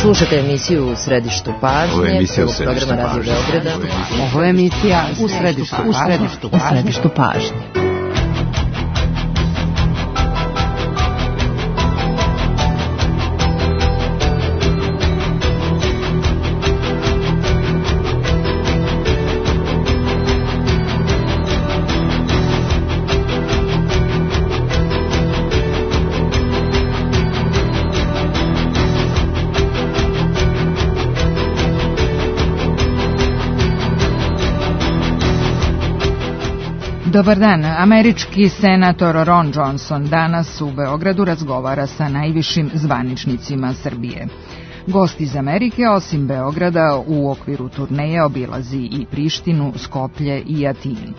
Slušajte emisiju U središtu pažnje, prvog programa Radio Beograda. Ovo je emisija U središtu pažnje. Dobar dan. Američki senator Ron Johnson danas u Beogradu razgovara sa najvišim zvaničnicima Srbije. Gost iz Amerike, osim Beograda, u okviru turneje obilazi i Prištinu, Skoplje i Atinu.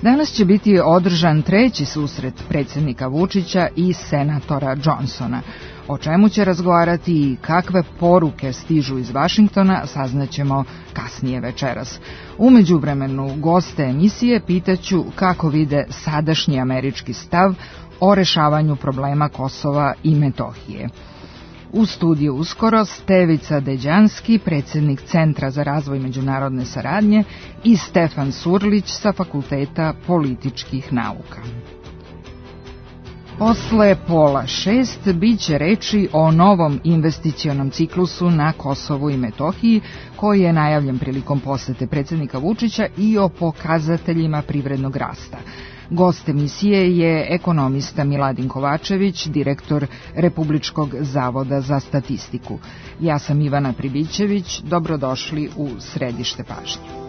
Danas će biti održan treći susret predsjednika Vučića i senatora Johnsona. O čemu će razgovarati i kakve poruke stižu iz Vašingtona saznaćemo kasnije večeras. U međuvremenu goste emisije pitaću kako vide sadašnji američki stav o rešavanju problema Kosova i Metohije. U studiju uskoro Stevica Deđanski, predsjednik Centra za razvoj međunarodne saradnje, i Stefan Surlić sa Fakulteta političkih nauka. Posle 5:30 bit će reči o novom investicionom ciklusu na Kosovu i Metohiji, koji je najavljen prilikom posete predsjednika Vučića, i o pokazateljima privrednog rasta. Gost emisije je ekonomista Miladin Kovačević, direktor Republičkog zavoda za statistiku. Ja sam Ivana Pribićević, dobrodošli u središte pažnje.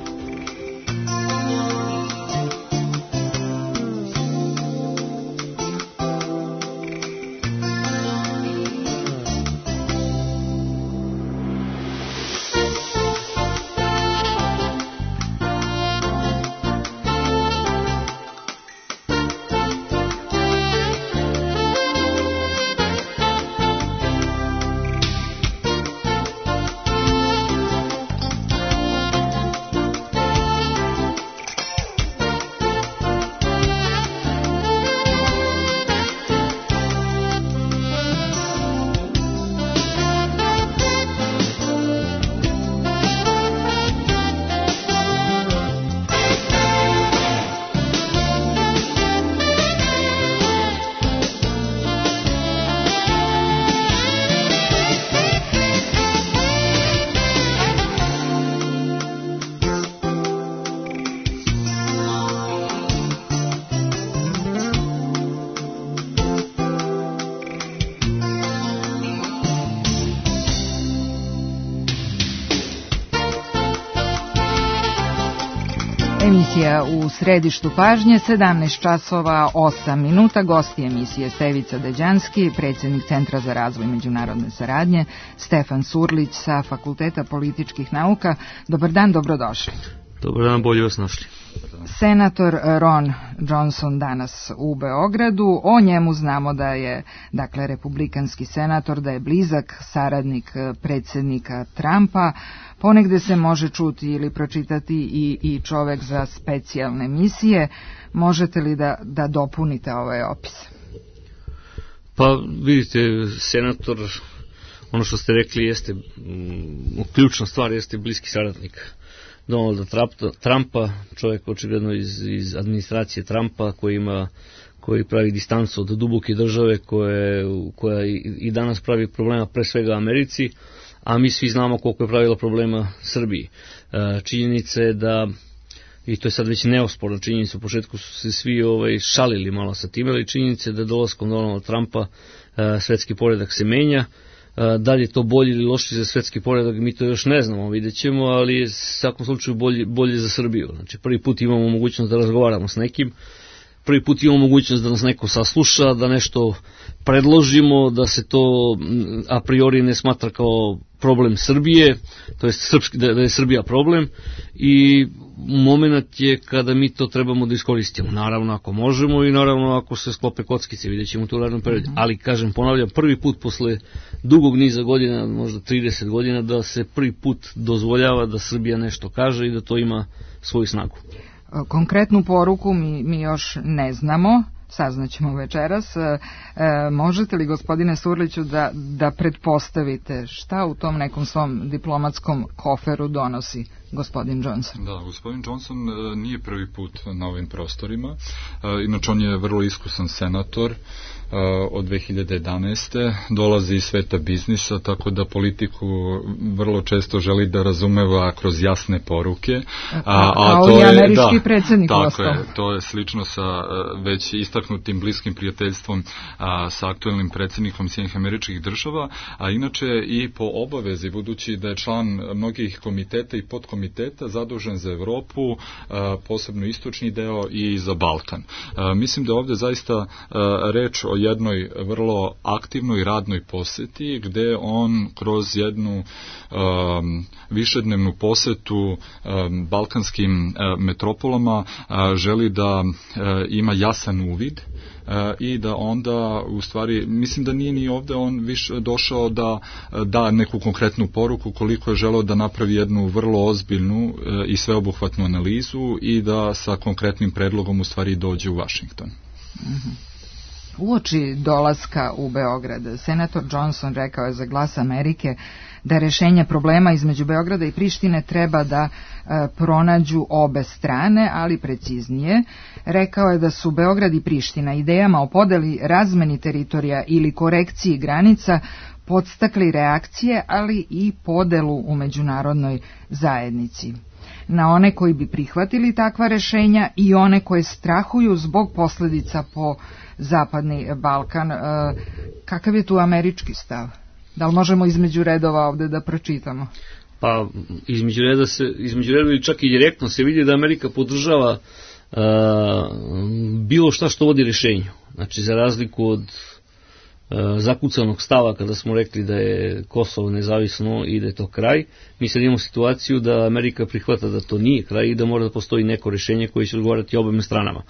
Emisija U središtu pažnje, 17 časova 8 minuta. Gosti emisije Stevica Deđanski, predsjednik Centra za razvoj međunarodne saradnje, Stefan Surlić sa Fakulteta političkih nauka. Dobar dan, dobrodošli. Dobar dan, bolje vas našli. Senator Ron Johnson danas u Beogradu. O njemu znamo da je, dakle, republikanski senator, da je blizak saradnik predsjednika Trumpa. Ponegde se može čuti ili pročitati i čovek za specijalne misije. Možete li da dopunite ovaj opis? Pa vidite, senator, ono što ste rekli jeste, ključna stvar jeste bliski saradnik Donalda Trumpa, čovjek očigledno iz administracije Trumpa koji pravi distancu od duboke države koja i danas pravi problema pre svega Americi, a mi svi znamo koliko je pravila problema Srbiji. Činjenica je da, i to je sad već neosporna činjenica, u početku su se svi šalili malo sa time, ali činjenica je da dolaskom Donalda Trumpa svetski poredak se menja. Da li je to bolje ili loše za svetski poredak, mi to još ne znamo, vidjet ćemo, ali je u svakom slučaju bolje za Srbiju. Znači, prvi put imamo mogućnost da razgovaramo s nekim, prvi put imamo mogućnost da nas neko sasluša, da nešto predložimo, da se to a priori ne smatra kao problem Srbije, to je da je Srbija problem, i moment je kada mi to trebamo da iskoristimo. Naravno ako možemo i naravno ako se sklope kockice, vidjet ćemo to u narednom periodu. Ali ponavljam, prvi put posle dugog niza godina, možda 30 godina, da se prvi put dozvoljava da Srbija nešto kaže i da to ima svoju snagu. Konkretnu poruku mi još ne znamo, saznaćemo večeras. Možete li, gospodine Surliću, da pretpostavite šta u tom nekom svom diplomatskom koferu donosi gospodin Johnson? Da, gospodin Johnson nije prvi put na ovim prostorima. Inače, on je vrlo iskusan senator od 2011. Dolazi iz sveta biznisa, tako da politiku vrlo često želi da razumeva kroz jasne poruke. Kao to i američki predsjednik tako je, to je slično sa već istaknutim bliskim prijateljstvom sa aktuelnim predsjednikom Sjedinjenih Američkih Država, a inače i po obavezi, budući da je član mnogih komiteta i podkomiteta zadužen za Evropu, posebno istočni deo i za Balkan. Mislim da ovdje zaista reč o jednoj vrlo aktivnoj radnoj poseti, gde on kroz jednu višednevnu posetu balkanskim metropolama želi da ima jasan uvid i da onda, u stvari, mislim da nije ni ovdje on više došao da da neku konkretnu poruku, koliko je želeo da napravi jednu vrlo ozbiljnu i sveobuhvatnu analizu i da sa konkretnim predlogom u stvari dođe u Vašington. Uoči dolaska u Beograd, senator Johnson rekao je za Glas Amerike da rešenje problema između Beograda i Prištine treba da pronađu obe strane, ali preciznije. Rekao je da su Beograd i Priština idejama o podeli, razmeni teritorija ili korekciji granica podstakli reakcije, ali i podelu u međunarodnoj zajednici. Na one koji bi prihvatili takva rešenja i one koje strahuju zbog posljedica po Zapadni Balkan. Kakav je tu američki stav? Da li možemo između redova ovdje da pročitamo? Pa između redova ili čak i direktno se vidi da Amerika podržava bilo šta što vodi rješenju. Znači, za razliku od zakucanog stava kada smo rekli da je Kosovo nezavisno i da je to kraj, mi sad imamo situaciju da Amerika prihvata da to nije kraj i da mora da postoji neko rješenje koje će odgovarati obema stranama.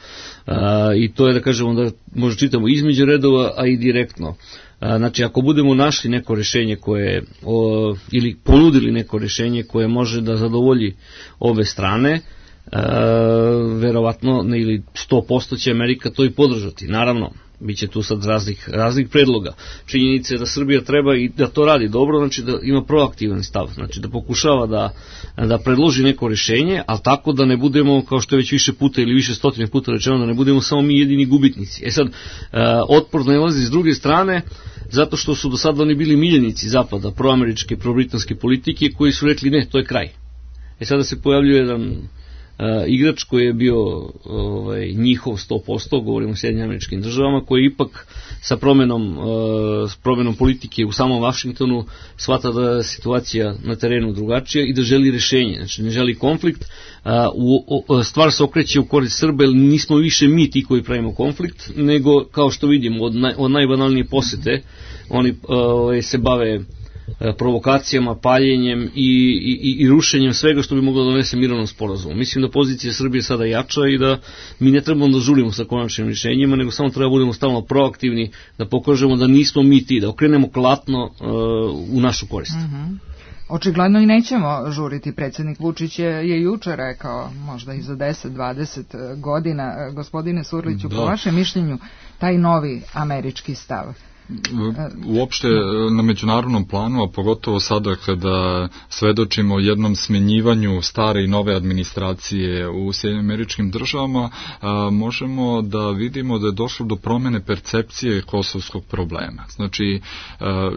I to je, da kažemo, da možda čitamo između redova, a i direktno. Znači, ako budemo našli neko rješenje koje, ili ponudili neko rješenje koje može da zadovolji obe strane, verovatno, ili 100% će Amerika to i podržati. Naravno, biće tu sad raznih predloga. Činjenica je da Srbija treba i da to radi dobro, znači da ima proaktivan stav, znači da pokušava da predloži neko rješenje, ali tako da ne budemo, kao što je već više puta ili više stotine puta rečeno, da ne budemo samo mi jedini gubitnici. E sad, otpor nalazi s druge strane, zato što su do sada oni bili miljenici Zapada, proameričke, probritanske politike, koji su rekli ne, to je kraj. E sada se pojavljuje jedan igrač koji je bio njihov 100%, govorimo o Sjedinjenim Američkim Državama, koji ipak sa promjenom politike u samom Vašingtonu shvata da je situacija na terenu drugačija i da želi rješenje, znači ne želi konflikt. Stvar se okreće u korist Srba, jer nismo više mi ti koji pravimo konflikt, nego, kao što vidimo, od najbanalnije posete oni se bave provokacijama, paljenjem i rušenjem svega što bi moglo da donese mirovnom sporazumu. Mislim da pozicija Srbije sada jača i da mi ne trebamo da žurimo sa konačnim rješenjima, nego samo treba budemo stalno proaktivni, da pokažemo da nismo mi ti, da okrenemo klatno u našu korist. Očigledno i nećemo žuriti. Predsjednik Vučić je juče rekao, možda i za 10-20 godina. Gospodine Surliću, po vašem mišljenju, taj novi američki stav? Uopšte na međunarodnom planu, a pogotovo sada kada svedočimo jednom smenjivanju stare i nove administracije u Sjedinjenim Američkim Državama, možemo da vidimo da je došlo do promjene percepcije kosovskog problema. Znači,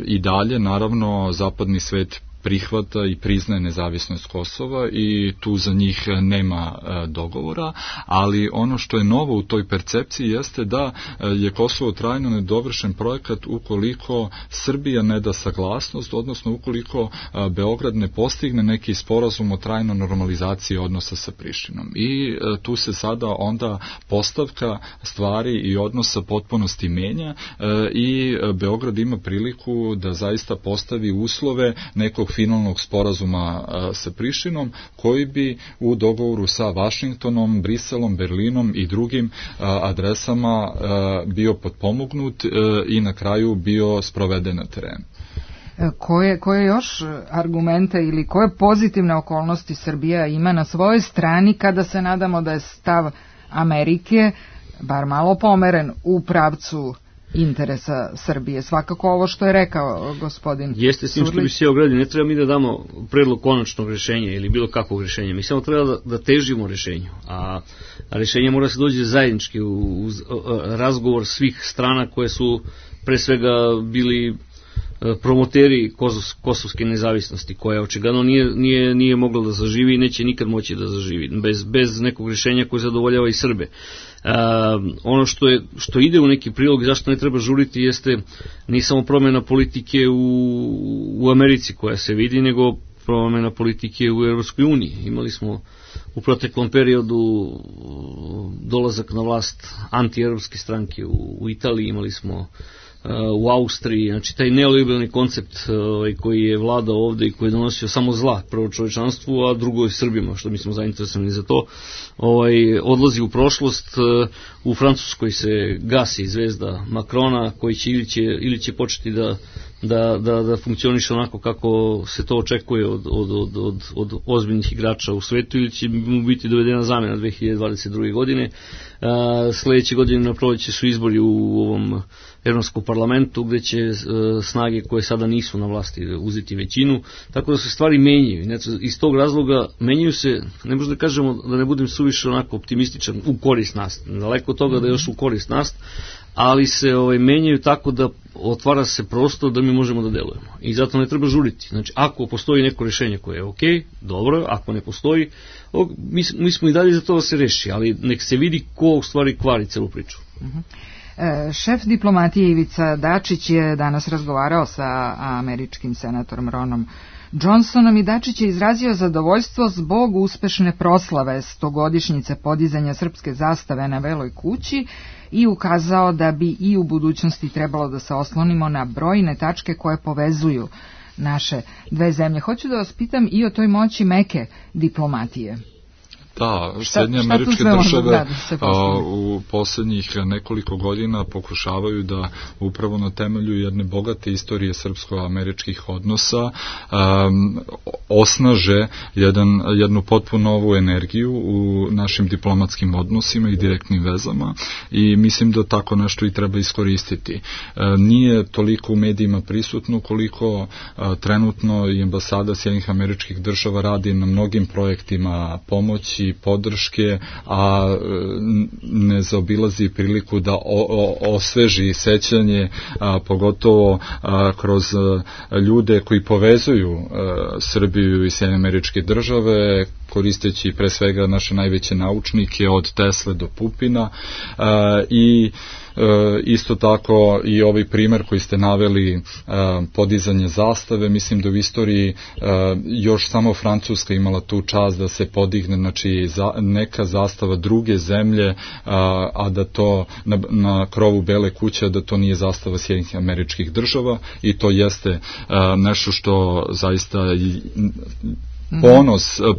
i dalje, naravno, zapadni svet prihvata i priznaje nezavisnost Kosova i tu za njih nema dogovora, ali ono što je novo u toj percepciji jeste da je Kosovo trajno nedovršen projekat ukoliko Srbija ne da saglasnost, odnosno ukoliko Beograd ne postigne neki sporazum o trajnoj normalizaciji odnosa sa Prištinom. I tu se sada onda postavka stvari i odnosa potpunosti menja i Beograd ima priliku da zaista postavi uslove nekog finalnog sporazuma sa Prištinom, koji bi u dogovoru sa Vašingtonom, Briselom, Berlinom i drugim adresama bio potpomognut i na kraju bio sproveden na terenu. Koje još argumente ili koje pozitivne okolnosti Srbija ima na svojoj strani kada se nadamo da je stav Amerike bar malo pomeren u pravcu interesa Srbije. Svakako ovo što je rekao gospodin Jeste s tim što bi se ogradio, ne treba mi da damo predlog konačnog rješenja ili bilo kakvog rješenja, mi samo treba da težimo rješenju, a rješenje mora se dođe zajednički uz razgovor svih strana koje su pre svega bili promoteri kosovske nezavisnosti, koja očigledno nije mogla da zaživi i neće nikad moći da zaživi bez nekog rješenja koje zadovoljava i Srbe. Ono što ide u neki prilog i zašto ne treba žuriti jeste ne samo promjena politike u Americi koja se vidi, nego promjena politike u Europskoj uniji. Imali smo u proteklom periodu dolazak na vlast antievropske stranke u Italiji, imali smo u Austriji, znači taj neoliberalni koncept koji je vladao ovde i koji je donosio samo zla, prvo čovečanstvu, a drugo i Srbima, što mi smo zainteresovani za to, odlazi u prošlost. U Francuskoj se gasi zvezda Macrona, koji će ili će početi da funkcioniše onako kako se to očekuje od ozbiljnih igrača u svetu, ili će mu biti dovedena zamena 2022. godine. Sljedeće godine na proleće su izbori u ovom Evropskom parlamentu, gde će snage koje sada nisu na vlasti uzeti većinu, tako da se stvari menjaju. Iz tog razloga menjaju se, ne možda kažemo da ne budem suviše onako optimističan, u korist nas, daleko od toga da je još u korist nas, ali se menjaju tako da otvara se prostor da mi možemo da delujemo. I zato ne treba žuriti. Znači, ako postoji neko rješenje koje je ok, dobro, ako ne postoji, mi smo i dalje za to da se reši, ali nek se vidi ko u stvari kvari celu priču. Šef diplomatije Ivica Dačić je danas razgovarao sa američkim senatorom Ronom Johnsonom i Dačić je izrazio zadovoljstvo zbog uspešne proslave 100-godišnjice podizanja srpske zastave na Beloj kući i ukazao da bi i u budućnosti trebalo da se oslonimo na brojne tačke koje povezuju naše dve zemlje. Hoću da vas pitam i o toj moći meke diplomatije. Da, Sjedinje Američke Države u posljednjih nekoliko godina pokušavaju da upravo na temelju jedne bogate istorije srpsko-američkih odnosa osnaže jednu potpuno novu energiju u našim diplomatskim odnosima i direktnim vezama i mislim da tako nešto i treba iskoristiti. Nije toliko u medijima prisutno koliko trenutno i ambasada Sjedinjenih Američkih Država radi na mnogim projektima pomoći i podrške, a ne zaobilazi priliku da osveži sećanje, pogotovo kroz ljude koji povezuju Srbiju i Sjedinjene Američke Države, koristeći pre svega naše najveće naučnike od Tesle do Pupina i isto tako i ovaj primer koji ste naveli, podizanje zastave, mislim da u istoriji još samo Francuska imala tu čast da se podigne, znači neka zastava druge zemlje, a da to na krovu Bele kuće, da to nije zastava Sjedinjenih Američkih Država i to jeste nešto što zaista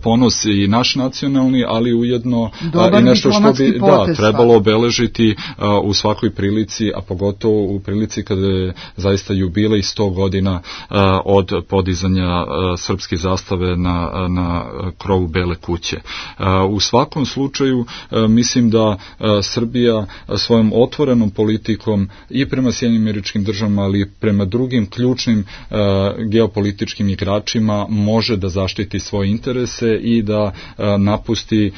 ponos i naš nacionalni, ali ujedno i nešto što bi trebalo obeležiti u svakoj prilici, a pogotovo u prilici kada je zaista jubilej 100 godina od podizanja srpske zastave na krovu Bele kuće. U svakom slučaju mislim da Srbija svojom otvorenom politikom i prema Sjedinjenim Američkim Državama, ali i prema drugim ključnim geopolitičkim igračima može da zaštiti svoje interese i da napusti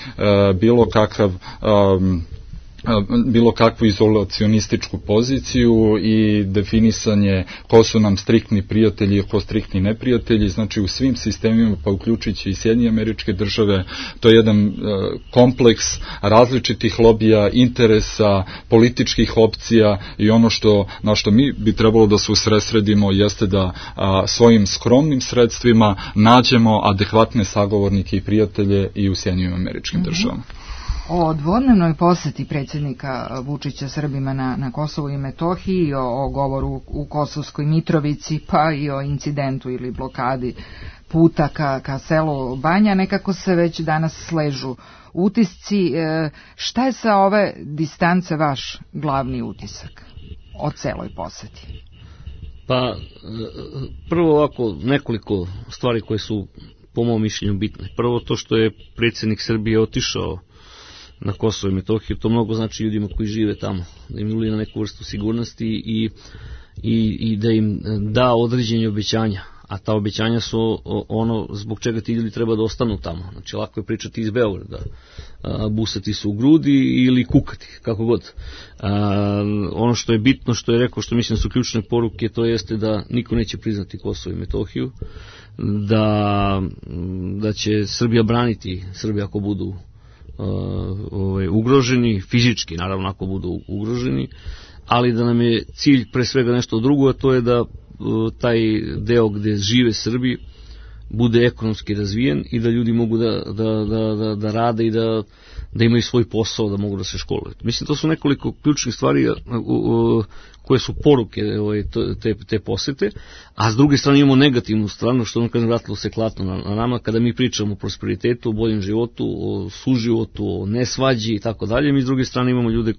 bilo kakvu izolacionističku poziciju i definisanje ko su nam striktni prijatelji i ko striktni neprijatelji, znači u svim sistemima, pa uključujući i Sjedinjene Američke Države, to je jedan kompleks različitih lobija, interesa, političkih opcija i ono na što mi bi trebalo da se usredsredimo jeste da svojim skromnim sredstvima nađemo adekvatne sagovornike i prijatelje i u Sjedinjenim Američkim Državama. O dvodnevnoj poseti predsjednika Vučića Srbima na Kosovu i Metohiji, o govoru u Kosovskoj Mitrovici, pa i o incidentu ili blokadi puta ka selu Banja, nekako se već danas sležu utisci. Šta je sa ove distance vaš glavni utisak o celoj poseti? Pa, prvo ovako nekoliko stvari koje su po mom mišljenju bitne. Prvo to što je predsjednik Srbije otišao na Kosovo i Metohiju, to mnogo znači ljudima koji žive tamo, da im uli na neku vrstu sigurnosti i da im da određenje obećanja, a ta obećanja su ono zbog čega ti ljudi treba da ostanu tamo. Znači, lako je pričati iz Beograda, busati se u grudi ili kukati, kako god. Ono što je bitno, što je rekao, što mislim da su ključne poruke, to jeste da niko neće priznati Kosovo i Metohiju, da će Srbija braniti Srbija ako budu ugroženi, fizički naravno ako budu ugroženi, ali da nam je cilj pre svega nešto drugo, a to je da taj deo gde žive Srbi bude ekonomski razvijen i da ljudi mogu da rade i da imaju svoj posao, da mogu da se školuju. Mislim, to su nekoliko ključnih stvari koje su poruke te posete, a s druge strane imamo negativnu stranu, što ono kažem, vratilo se klatno na nama, kada mi pričamo o prosperitetu, o boljem životu, o suživotu, o nesvađi i tako dalje, mi s druge strane imamo ljude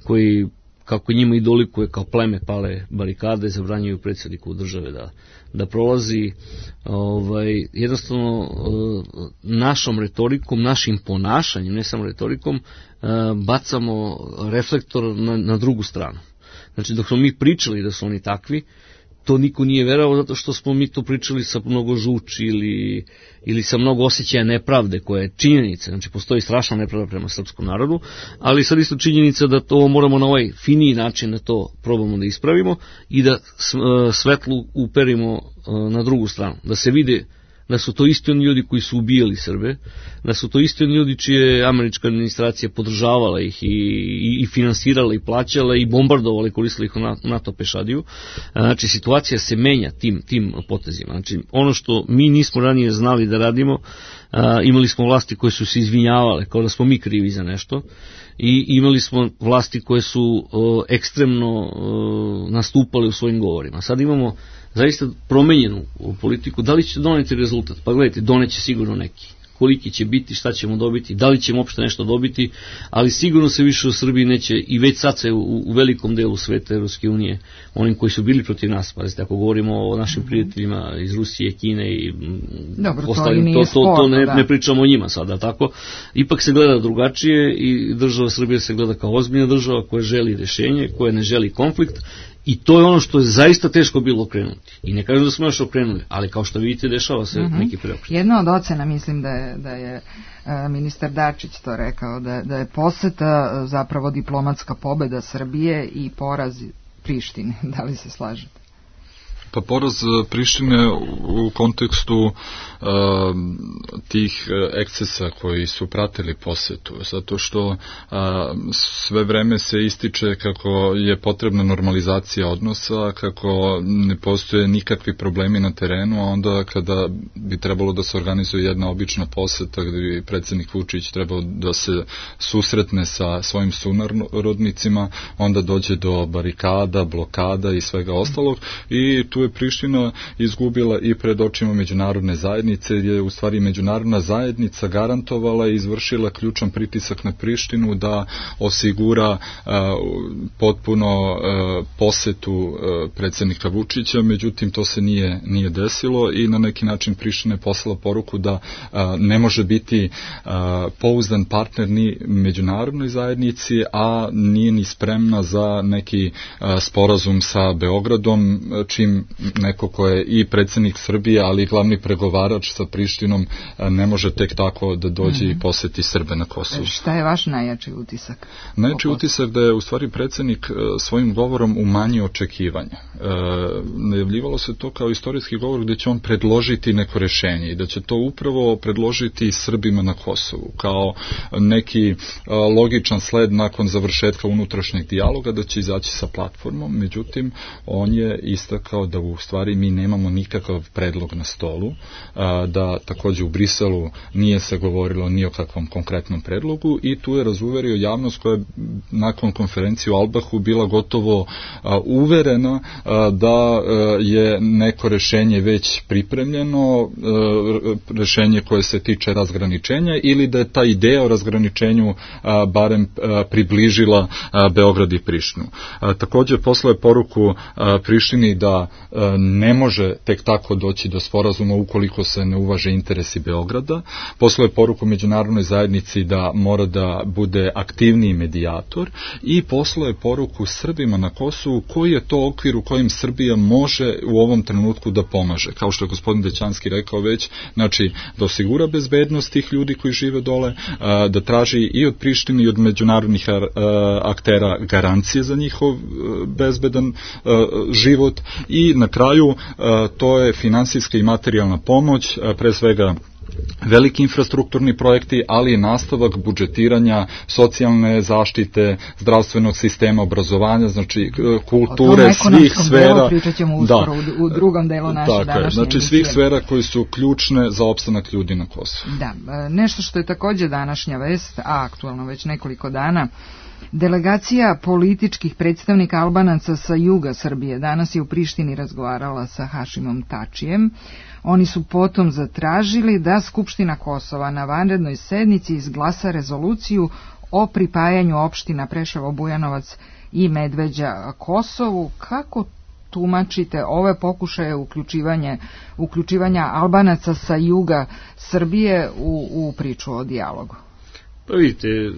koji kako njima i dolikuje kao pleme pale barikade, zabranjuju predsjedniku države da prolazi. Jednostavno našom retorikom, našim ponašanjem, ne samo retorikom, bacamo reflektor na drugu stranu. Znači, dok smo mi pričali da su oni takvi, to niko nije verovao, zato što smo mi to pričali sa mnogo žuči ili sa mnogo osjećaja nepravde, koja je činjenica. Znači, postoji strašna nepravda prema srpskom narodu, ali sad isto činjenica da to moramo na ovaj finiji način da to probamo da ispravimo i da svetlu uperimo na drugu stranu. Da se vide da su to isti oni ljudi koji su ubijali Srbe, da su to isti oni ljudi čije američka administracija podržavala ih i finansirala i plaćala i bombardovala i koristila ih u NATO pešadiju. Znači, situacija se menja tim potezima. Znači, ono što mi nismo ranije znali da radimo, imali smo vlasti koje su se izvinjavale, kao da smo mi krivi za nešto, i imali smo vlasti koje su ekstremno nastupale u svojim govorima. Sad imamo zaista promenjenu politiku. Da li će doneti rezultat? Pa gledajte, doneće sigurno neki. Koliki će biti, šta ćemo dobiti, da li ćemo uopšte nešto dobiti, ali sigurno se više u Srbiji neće, i već sad se u velikom delu sveta Evropske unije, onim koji su bili protiv nas, pazite, ako govorimo o našim prijateljima iz Rusije, Kine i ostalim, to ne pričamo o njima sada, tako? Ipak se gleda drugačije i država Srbije se gleda kao ozbiljna država koja želi rešenje, koja ne želi konflikt. I to je ono što je zaista teško bilo okrenuti. I ne kažem da smo još okrenuli, ali kao što vidite, dešava se neki preokret. Jedna od ocena, mislim da je ministar Dačić to rekao, da je poseta zapravo diplomatska pobeda Srbije i poraz Prištine. Da li se slažete? Pa poraz Prištine u kontekstu tih ekscesa koji su pratili posetu, zato što sve vreme se ističe kako je potrebna normalizacija odnosa, kako ne postoje nikakvi problemi na terenu, a onda kada bi trebalo da se organizuje jedna obična poseta gde bi predsjednik Vučić trebao da se susretne sa svojim sunarodnicima, onda dođe do barikada, blokada i svega ostalog, i tu je Priština izgubila i pred očima međunarodne zajednice, gdje je u stvari međunarodna zajednica garantovala i izvršila ključan pritisak na Prištinu da osigura potpuno posetu predsjednika Vučića, međutim to se nije desilo i na neki način Priština je poslala poruku da ne može biti pouzdan partner ni međunarodnoj zajednici, a nije ni spremna za neki sporazum sa Beogradom, čim neko ko je i predsjednik Srbije, ali i glavni pregovarač sa Prištinom ne može tek tako da dođe i poseti Srbe na Kosovu. Šta je vaš najjači utisak? Najjači utisak da je u stvari predsjednik svojim govorom umanjio očekivanja. Najavljivalo se to kao istorijski govor gdje će on predložiti neko rešenje i da će to upravo predložiti Srbima na Kosovu kao neki logičan sled nakon završetka unutrašnjeg dijaloga, da će izaći sa platformom. Međutim, on je istakao da u stvari mi nemamo nikakav predlog na stolu, da također u Briselu nije se govorilo ni o kakvom konkretnom predlogu i tu je razuverio javnost koja je nakon konferencije u Albahu bila gotovo uverena da je neko rešenje već pripremljeno, rešenje koje se tiče razgraničenja ili da je ta ideja o razgraničenju barem približila Beograd i Prištinu. Također poslao je poruku Prištini da ne može tek tako doći do sporazuma ukoliko se ne uvaže interesi Beograda. Poslao je poruku međunarodnoj zajednici da mora da bude aktivniji medijator i poslao je poruku Srbima na Kosovu koji je to okvir u kojem Srbija može u ovom trenutku da pomaže. Kao što je gospodin Dećanski rekao već, znači da osigura bezbednost tih ljudi koji žive dole, da traži i od Prištine i od međunarodnih aktera garancije za njihov bezbedan život i na kraju to je finansijska i materijalna pomoć, pre svega veliki infrastrukturni projekti, ali i nastavak budžetiranja socijalne zaštite, zdravstvenog sistema, obrazovanja, znači kulture, svih sfera. Pričat ćemo uskoro u drugom delu naše današnje emisije. Znači svih sfera koji su ključne za opstanak ljudi na Kosovu. Da, nešto što je također današnja vest, a aktualno već nekoliko dana, delegacija političkih predstavnika Albanaca sa juga Srbije danas je u Prištini razgovarala sa Hašimom Tačijem. Oni su potom zatražili da Skupština Kosova na vanrednoj sednici izglasa rezoluciju o pripajanju opština Preševo, Bujanovac i Medveđa Kosovu. Kako tumačite ove pokušaje uključivanja Albanaca sa juga Srbije u priču o dijalogu? Pa vidite,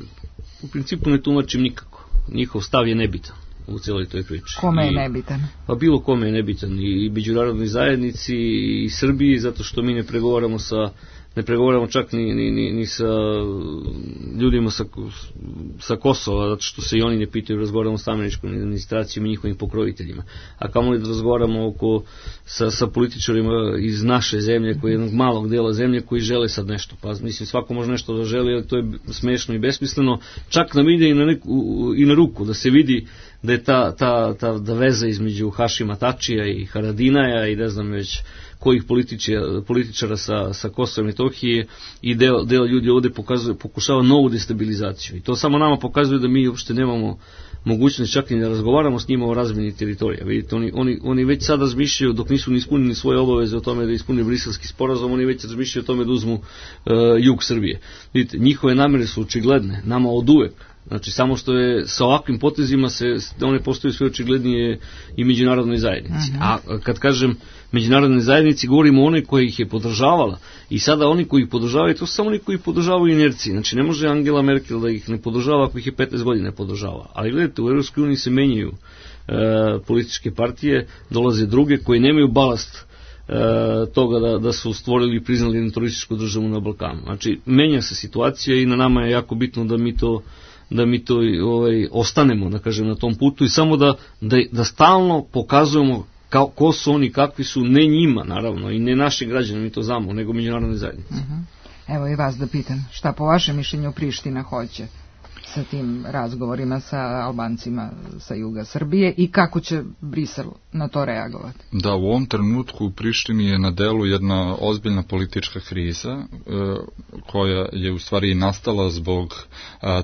u principu ne tumačim nikako. Njihov stav je nebitan u cijeloj toj priči. Kome je nebitan? Pa bilo kome je nebitan, i međunarodnoj zajednici i Srbiji, zato što mi ne pregovaramo čak ni sa ljudima sa Kosova, zato što se i oni ne pitaju, razgovaramo sa američkom administracijom i njihovim pokroviteljima. A kamo li da razgovaramo sa političarima iz naše zemlje, koji je jednog malog dela zemlje koji žele sad nešto. Pa mislim, svako može nešto da želi, ali to je smešno i besmisleno. Čak nam ide i na ruku da se vidi da je ta veza između Hašima Tačija i Haradinaja i ne znam već kojih političara sa Kosova i Metohije i deo ljudi ovdje pokušava novu destabilizaciju. I to samo nama pokazuje da mi uopšte nemamo mogućnost čak i da razgovaramo s njima o razmjeni teritorija. Vidite, oni već sad razmišljaju, dok nisu ni ispunili svoje obaveze o tome da ispune Briselski sporazum, oni već razmišljaju o tome da uzmu jug Srbije. Vidite, njihove namere su očigledne, nama od uvek. Znači, samo što je sa ovakvim potezima one postaju sve očiglednije i međunarodnoj zajednici. A kad kažem međunarodnoj zajednici, govorimo o onoj koja ih je podržavala. I sada oni koji ih podržavaju, to su samo oni koji ih podržavaju inerciji. Znači, ne može Angela Merkel da ih ne podržava ako ih je 15 godina podržava. Ali gledajte, u EU se menjaju političke partije, dolaze druge koji nemaju balast toga da su stvorili i priznali jednu terorističku državu na Balkanu. Znači, menja se situacija i na nama je jako bitno da mi to ostanemo, da kažem, na tom putu i samo da stalno pokazujemo ko su oni, kakvi su, ne njima naravno i ne naši građani, mi to znamo, nego međunarodne zajednice. Evo i vas da pitam, šta po vašem mišljenju Priština hoće sa tim razgovorima sa Albancima sa juga Srbije i kako će Brisel na to reagovati? Da, u ovom trenutku u Prištini je na delu jedna ozbiljna politička kriza koja je u stvari nastala zbog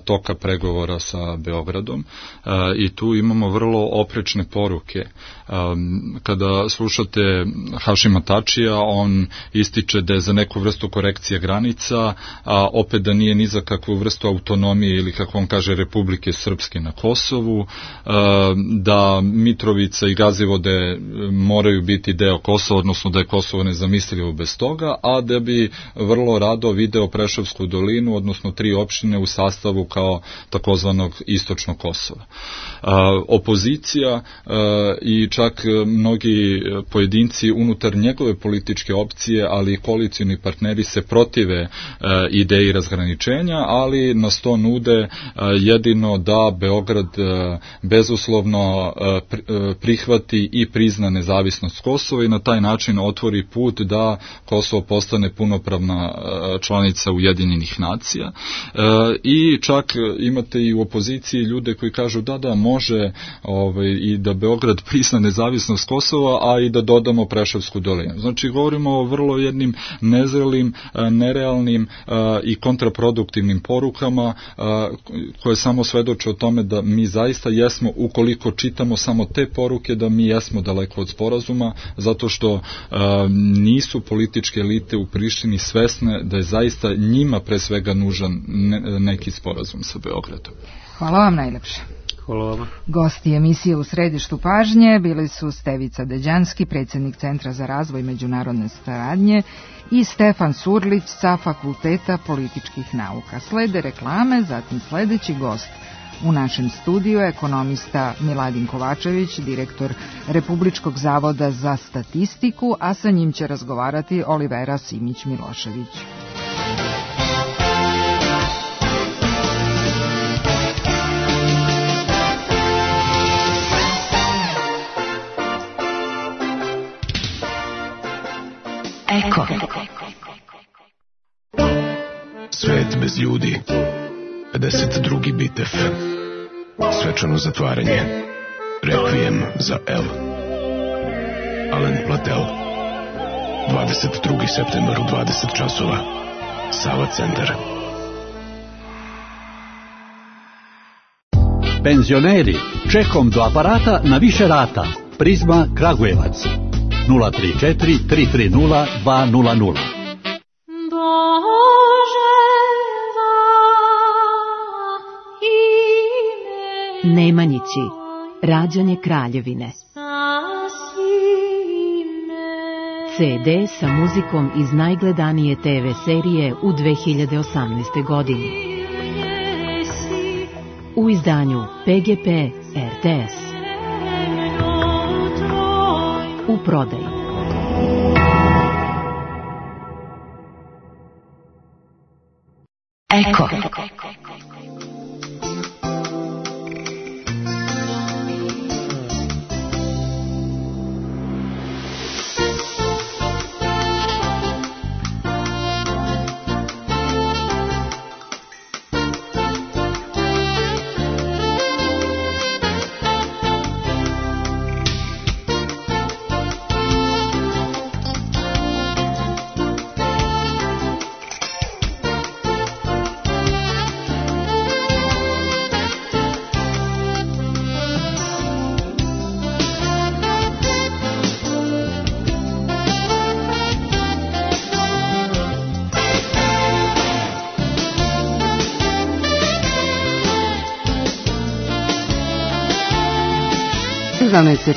toka pregovora sa Beogradom i tu imamo vrlo oprečne poruke. Kada slušate Hašima Tačija, on ističe da je za neku vrstu korekcije granica, a opet da nije ni za kakvu vrstu autonomije ili kako on kaže Republike Srpske na Kosovu, da Mitrovica i Gazivode moraju biti deo Kosova, odnosno da je Kosovo nezamislivo bez toga, a da bi vrlo rado video Preševsku dolinu, odnosno 3 opštine u sastavu kao takozvanog istočnog Kosova. Opozicija i čak mnogi pojedinci unutar njegove političke opcije, ali i koalicioni partneri se protive ideji razgraničenja, ali nas to nude jedino da Beograd bezuslovno prihvati i prizna nezavisnost Kosova i na taj način otvori put da Kosovo postane punopravna članica Ujedinjenih nacija. I čak imate i u opoziciji ljude koji kažu da može i da Beograd prizna nezavisnost Kosova, a i da dodamo Preševsku dolinu. Znači govorimo o vrlo jednim nezrelim, nerealnim i kontraproduktivnim porukama koje samo svedoče o tome da mi zaista jesmo, ukoliko čitamo samo te poruke, da mi jesmo daleko od sporazuma, zato što nisu političke elite u Prištini svesne da je zaista njima pre svega nužan neki sporazum sa Beogradom. Hvala vam najlepše. Hvala vama. Gosti emisije U središtu pažnje bili su Stevica Deđanski, predsjednik Centra za razvoj međunarodne saradnje, i Stefan Surlić sa Fakulteta političkih nauka. Slede reklame, zatim sledeći gost u našem studiju, ekonomista Miladin Kovačević, direktor Republičkog zavoda za statistiku, a sa njim će razgovarati Olivera Simić-Milošević. Eko. Svet bez ljudi. 52. bitev. Svečano zatvaranje. Rekvijem za El. Alen Platel. 22. septembar u 20 časova. Sava centar. Penzioneri, čekom do aparata na više rata. Prizma Kragujevac. 034 330 200. Nemanjići, rađanje kraljevine. CD sa muzikom iz najgledanije TV serije u 2018. godini. U izdanju PGP RTS. U prodaji. Eko.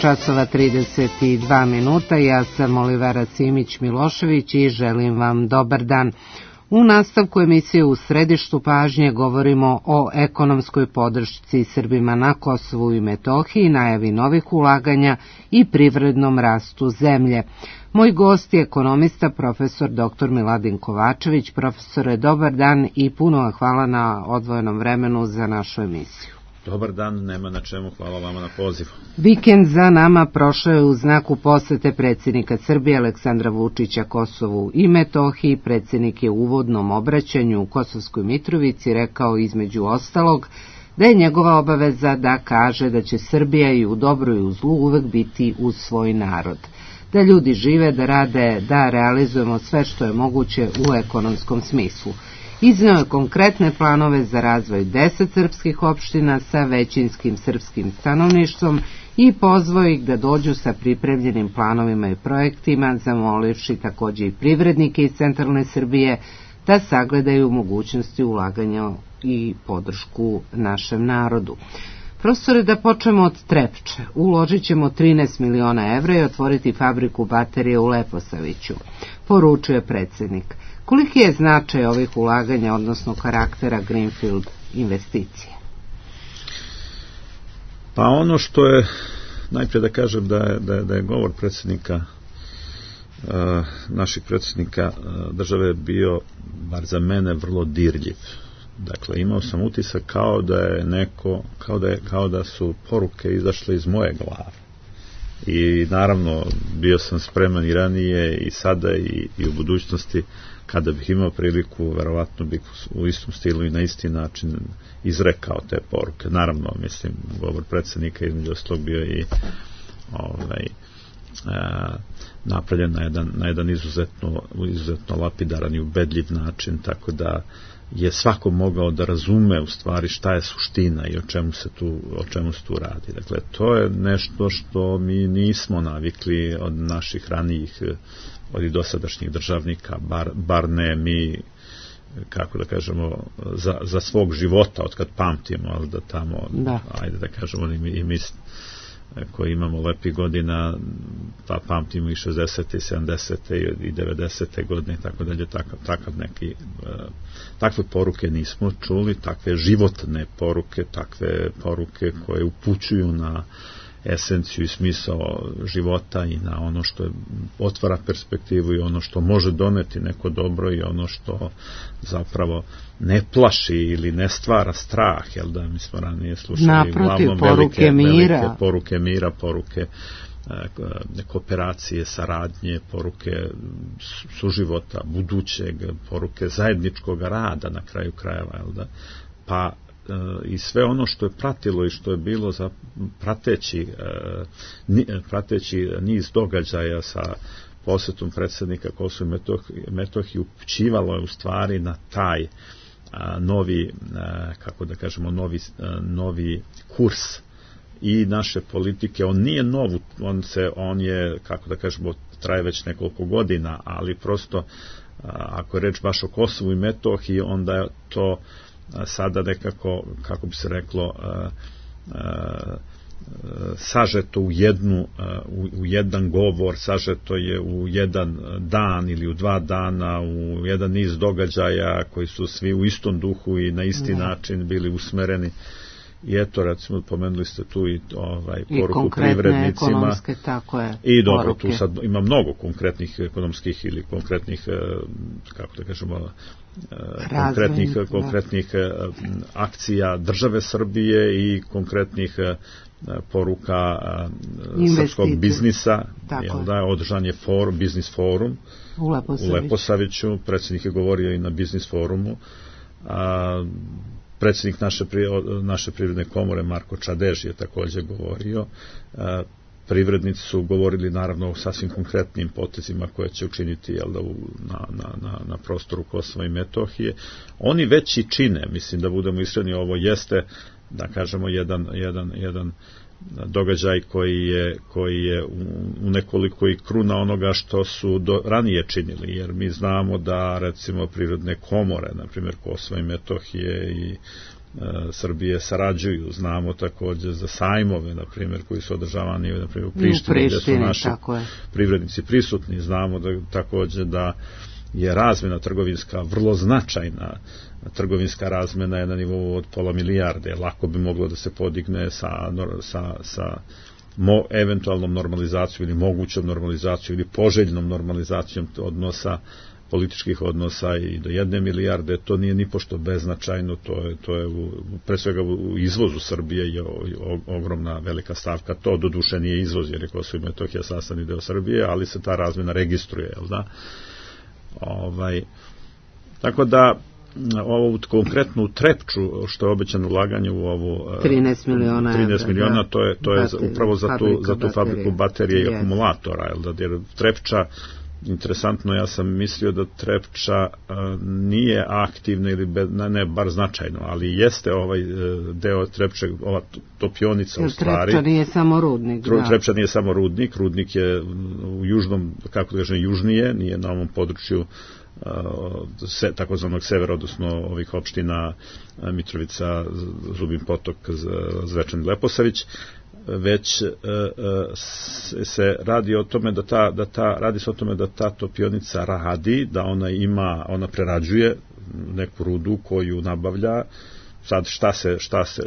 časova 32 minuta, ja sam Olivera Simić-Milošević i želim vam dobar dan. U nastavku emisije U središtu pažnje govorimo o ekonomskoj podršci Srbima na Kosovu i Metohiji, najavi novih ulaganja i privrednom rastu zemlje. Moj gost je ekonomista, profesor dr. Miladin Kovačević. Profesore, dobar dan i puno hvala na odvojenom vremenu za našu emisiju. Dobar dan, nema na čemu, hvala vama na pozivu. Vikend za nama prošao je u znaku posete predsjednika Srbije Aleksandra Vučića Kosovu i Metohiji. Predsjednik je u uvodnom obraćanju u Kosovskoj Mitrovici rekao između ostalog da je njegova obaveza da kaže da će Srbija i u dobru i u zlu uvek biti uz svoj narod. Da ljudi žive, da rade, da realizujemo sve što je moguće u ekonomskom smislu. Izneo je konkretne planove za razvoj 10 srpskih opština sa većinskim srpskim stanovništvom i pozvao ih da dođu sa pripremljenim planovima i projektima, zamolivši također i privrednike iz centralne Srbije da sagledaju mogućnosti ulaganja i podršku našem narodu. Profesore, da počnemo od Trepče. Uložit ćemo 13 miliona evra i otvoriti fabriku baterije u Leposaviću, poručuje predsjednik. Koliki je značaj ovih ulaganja, odnosno karaktera Greenfield investicije? Pa ono što je, najprije da kažem da je govor predsjednika, naših predsjednika države bio, bar za mene, vrlo dirljiv. Dakle, imao sam utisak kao da je neko, kao da su poruke izašle iz moje glave. I naravno, bio sam spreman i ranije i sada i u budućnosti, kada bih imao priliku, verovatno bih u istom stilu i na isti način izrekao te poruke. Naravno, mislim, govor predsjednika između ostalog bio i napravljen na jedan izuzetno lapidaran i ubedljiv način, tako da je svako mogao da razume u stvari šta je suština i o čemu se tu radi. Dakle, to je nešto što mi nismo navikli od naših ranijih, od dosadašnjih državnika, bar ne mi kako da kažemo, za svog života, od kad pamtimo, ali da tamo, ajde da kažemo, i mi koji imamo lepih godina, pa pamtimo i 60. i 70. i 90. godine i tako dalje, takve poruke nismo čuli, takve životne poruke, takve poruke koje upućuju na esenciju i smisao života i na ono što otvara perspektivu i ono što može doneti neko dobro i ono što zapravo ne plaši ili ne stvara strah, jel da, mi smo ranije slušali uglavnom velike poruke mira, poruke kooperacije, saradnje, poruke suživota, budućeg, poruke zajedničkog rada na kraju krajeva, jel da, pa i sve ono što je pratilo i što je bilo za prateći niz događaja sa posjetom predsjednika Kosova i Metohije upućivalo je u stvari na taj novi, kako da kažemo, novi kurs i naše politike. On nije nov, on je, kako da kažemo, traje već nekoliko godina, ali prosto ako je reč baš o Kosovu i Metohiji, onda je to sada nekako, kako bi se reklo, sažeto u jedan govor, sažeto je u jedan dan ili u 2 dana, u jedan niz događaja koji su svi u istom duhu i na isti način bili usmereni. I eto, recimo, pomenuli ste tu i poruku privrednicima. Tako je, i dobro, poruke. Tu sad ima mnogo konkretnih ekonomskih ili konkretnih, kako da kažemo, konkretnih akcija države Srbije i konkretnih poruka srpskog biznisa. Održan je biznis forum u Leposaviću, predsjednik je govorio i na biznis forumu. Predsjednik naše privredne komore Marko Čadež je također govorio. Privrednici su govorili naravno o sasvim konkretnim potezima koje će učiniti na prostoru Kosova i Metohije. Oni već i čine, mislim da budemo iskreni, ovo jeste, da kažemo, jedan događaj koji je u nekoliko i kruna onoga što su ranije činili, jer mi znamo da recimo privredne komore, na primjer Kosova i Metohije i Srbije sarađuju, znamo također za sajmove, na primjer, koji su održavani na primjer u Prištini, gdje su naši privrednici prisutni, znamo da također da je razmjena trgovinska vrlo značajna. Trgovinska razmjena je na nivou od $500 milijarde, lako bi moglo da se podigne sa eventualnom normalizacijom ili mogućom normalizacijom ili poželjnom normalizacijom odnosa, političkih odnosa i do 1 milijarde. To nije nipošto beznačajno, to je pre svega u izvozu Srbije je ogromna velika stavka. To doduše nije izvoz, jer je Kosovo i Metohija sastavni deo Srbije, ali se ta razmjena registruje, jel da? Tako da ovu konkretnu Trepču, što je obećano ulaganje u ovu 13 miliona, to je upravo za tu fabriku baterije i akumulatora, jer Trepča, interesantno, ja sam mislio da Trepča nije aktivna ili ne bar značajno, ali jeste ovaj deo Trepče, ova topionica u stvari. Trepča nije samo rudnik. Trepča nije samo rudnik je u južnom, kako da kažem, južnije, nije na ovom području takozvanog severa, odnosno ovih opština Mitrovica, Zubin Potok, Zvečan i Leposavić, već se radi o tome da ta topionica radi, da ona prerađuje neku rudu koju nabavlja. Sad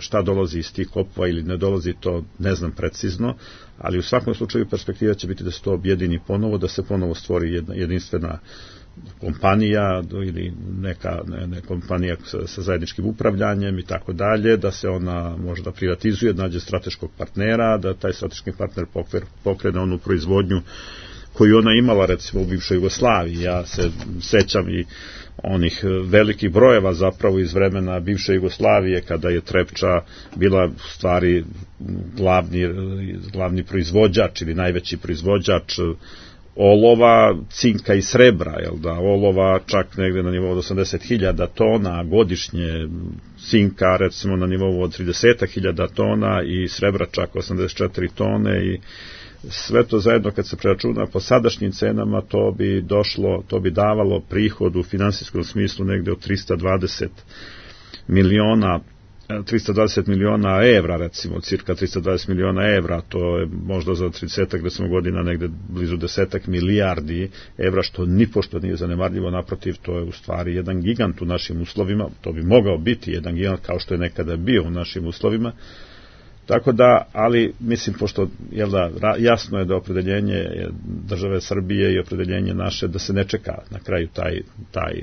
šta dolazi iz tih kopova ili ne dolazi, to ne znam precizno, ali u svakom slučaju perspektiva će biti da se to objedini ponovo, da se ponovo stvori jedna jedinstvena kompanija ili neka kompanija sa zajedničkim upravljanjem i tako dalje, da se ona možda privatizuje, nađe strateškog partnera, da taj strateški partner pokrene onu proizvodnju koju ona imala recimo u bivšoj Jugoslaviji. Ja se sećam i onih velikih brojeva zapravo iz vremena bivše Jugoslavije, kada je Trepča bila u stvari glavni proizvođač ili najveći proizvođač olova, cinka i srebra, olova čak negde na nivou od 80.000 tona godišnje, cinka recimo na nivou od 30.000 tona i srebra čak 84 tone i sve to zajedno kad se preračuna po sadašnjim cenama, to bi davalo prihod u finansijskom smislu negde od 320 miliona evra, recimo, cirka 320 miliona evra, to je možda za 30 recimo godina negde blizu 10 milijardi evra, što nipošto nije zanemarljivo, naprotiv, to je u stvari jedan gigant u našim uslovima, to bi mogao biti jedan gigant kao što je nekada bio u našim uslovima, tako da, ali mislim, pošto jasno je da opredeljenje države Srbije i opredeljenje naše da se ne čeka na kraju taj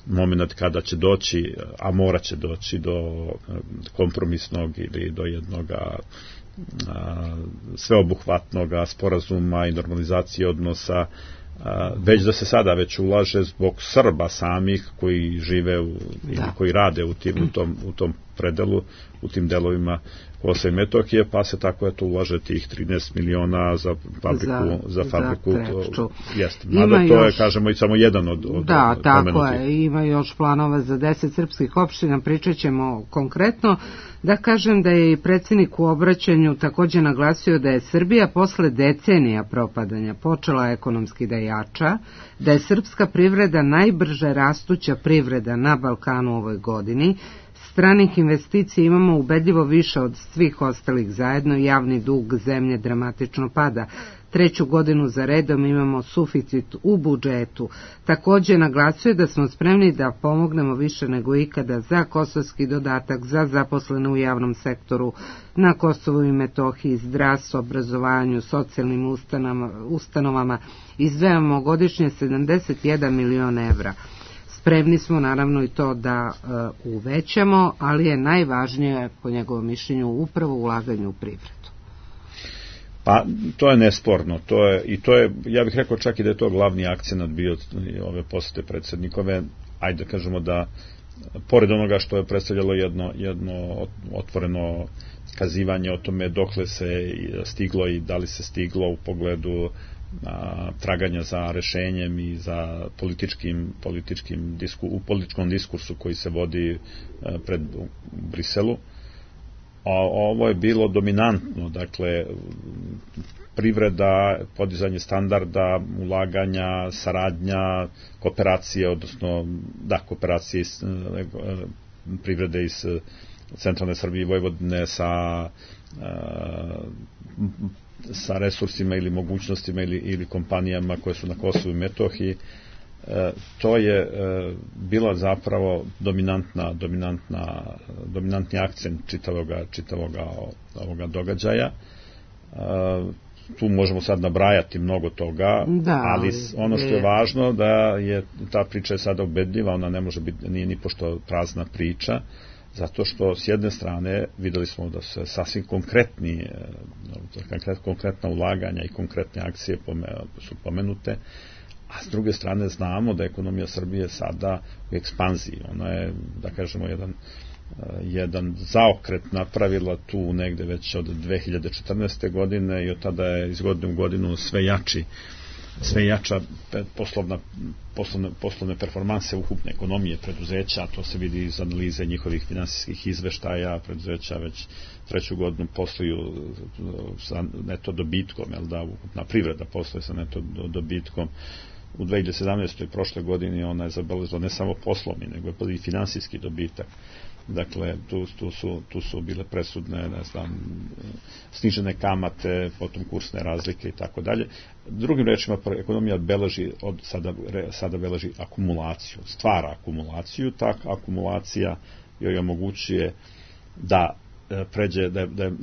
moment kada će doći, a mora će doći do kompromisnog ili do jednog sveobuhvatnog sporazuma i normalizacije odnosa, već da se sada već ulaže zbog Srba samih koji žive ili koji rade u tom predelu, u tim delovima Kosova i Metohije, pa se tako ulaže tih 13 miliona za fabriku jeste. Mada to je, kažemo, i samo jedan od da, tako je, ima još planova za 10 srpskih opština, pričat ćemo konkretno. Da kažem da je i predsjednik u obraćanju također naglasio da je Srbija posle decenija propadanja počela ekonomski da jača, da je srpska privreda najbrže rastuća privreda na Balkanu ovoj godini, stranih investicija imamo ubedljivo više od svih ostalih zajedno, javni dug zemlje dramatično pada. 3. godinu za redom imamo suficit u budžetu. Također naglasuje da smo spremni da pomognemo više nego ikada za kosovski dodatak, za zaposlene u javnom sektoru na Kosovu i Metohiji, zdravstvu, obrazovanju, socijalnim ustanovama. Izdvajamo godišnje 71 milion evra. Spremni smo naravno i to da uvećamo, ali je najvažnije po njegovom mišljenju upravo ulaganje u privredu. Pa to je nesporno, to je, ja bih rekao čak i da je to glavni akcenat bio ove posete predsjednikove, ajde da kažemo da pored onoga što je predstavljalo jedno otvoreno kazivanje o tome dokle se stiglo i da li se stiglo u pogledu traganja za rešenjem i za političkom diskursu koji se vodi pred Briselu. A ovo je bilo dominantno, dakle privreda, podizanje standarda, ulaganja, saradnja, kooperacije, odnosno kooperacije privrede iz centralne Srbije i Vojvodine sa resursima ili mogućnostima ili kompanijama koje su na Kosovu i Metohiji. To je bila zapravo dominantni akcent čitavoga ovoga događaja. Tu možemo sad nabrajati mnogo toga, ali ono što je važno da je ta priča je sada ubedljiva, ona ne može biti, nije ni pošto prazna priča, zato što s jedne strane videli smo da se sasvim konkretna ulaganja i konkretne akcije su pomenute, a s druge strane znamo da je ekonomija Srbije sada u ekspanziji. Ona je, da kažemo, jedan zaokret napravila tu negde već od 2014. godine i od tada je iz godine u godinu sve jača poslovne performanse ukupne ekonomije preduzeća, to se vidi iz analize njihovih finansijskih izveštaja, preduzeća već 3. godinu posluju sa neto dobitkom, ukupna privreda posluje sa neto dobitkom. U 2017. prošle godini ona je zabeležila ne samo poslovni, nego je i finansijski dobitak. Dakle, tu su bile presudne, snižene kamate, potom kursne razlike i tako dalje. Drugim rečima, ekonomija sada beleži akumulaciju, stvara akumulaciju, ta akumulacija joj omogućuje da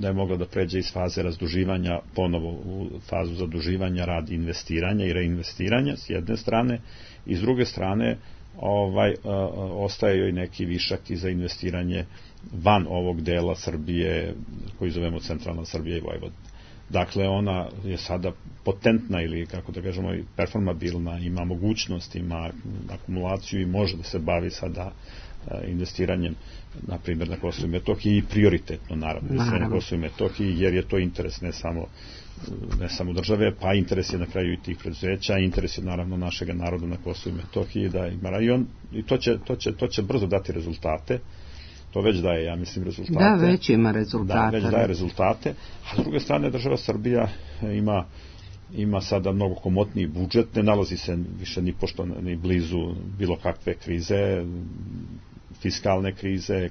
je mogla da pređe iz faze razduživanja ponovo u fazu zaduživanja radi investiranja i reinvestiranja s jedne strane, i s druge strane ostaje joj neki višak i za investiranje van ovog dela Srbije koji zovemo centralna Srbija i Vojvodina. Dakle, ona je sada potentna ili, kako da kažemo, performabilna, ima mogućnost, ima akumulaciju i može da se bavi sada investiranjem, na primjer, na Kosovu i Metohiji, i prioritetno, naravno, na Kosovu i Metohiji, jer je to interes ne samo države, pa interes je na kraju i tih preduzeća, interes je naravno našega naroda na Kosovu i Metohiji da ima rajon, i to će brzo dati rezultate, To već daje, ja mislim, rezultate. Da, već ima rezultate. Da, već daje rezultate, a s druge strane država Srbija ima sada mnogo komotniji budžet, ne nalazi se više ni pošto ni blizu bilo kakve krize, fiskalne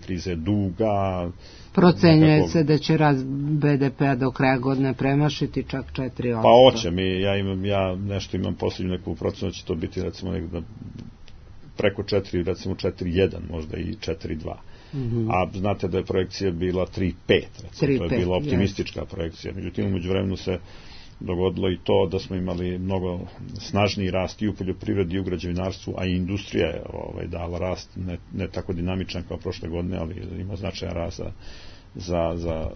krize duga. Procenjuje se da će rast BDP-a do kraja godine premašiti čak 4%. Pa hoće, ja nešto imam posljednju neku procenu, će to biti recimo negdje preko 4, recimo 4,1, možda i 4,2. A znate da je projekcija bila 3,5, recimo, to je bila optimistička projekcija. Međutim, umeđu vremenu se dogodilo i to da smo imali mnogo snažniji rast i u poljoprivredi i u građevinarstvu, a i industrija je dala rast, ne tako dinamičan kao prošle godine, ali ima značajan rast za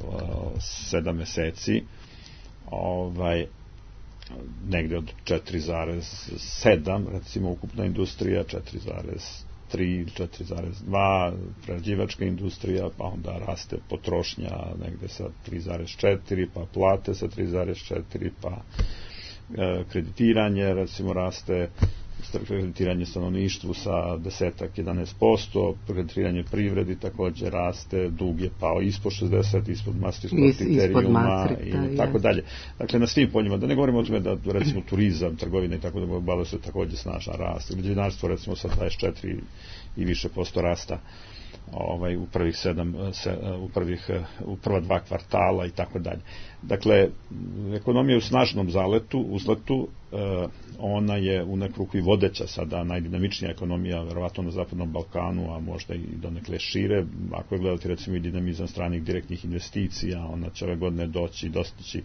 7 meseci. Negde od 4,7, recimo ukupna industrija, 4,3, 4,2, prerađivačka industrija, pa onda raste potrošnja negde sa 3,4, pa plate sa 3,4, pa kreditiranje, recimo raste kreditiranje stanovništvu sa 10-11%, kreditiranje privredi takođe raste, dug je pao ispod 60, ispod Maastrichtskog kriterijuma i tako dalje. Dakle, na svim poljima, da ne govorimo o tome da recimo turizam, trgovina i tako da obavlja se takođe snažan rast. Građevinarstvo recimo sa 24 i više posto rasta u prvih 7, u prva 2 kvartala i tako dalje. Dakle, ekonomija je u snažnom uzletu, ona je u neku ruku i vodeća sada, najdinamičnija ekonomija, verovatno na Zapadnom Balkanu, a možda i donekle šire. Ako je gledati recimo i dinamizam stranih direktnih investicija, ona će ove godine dostići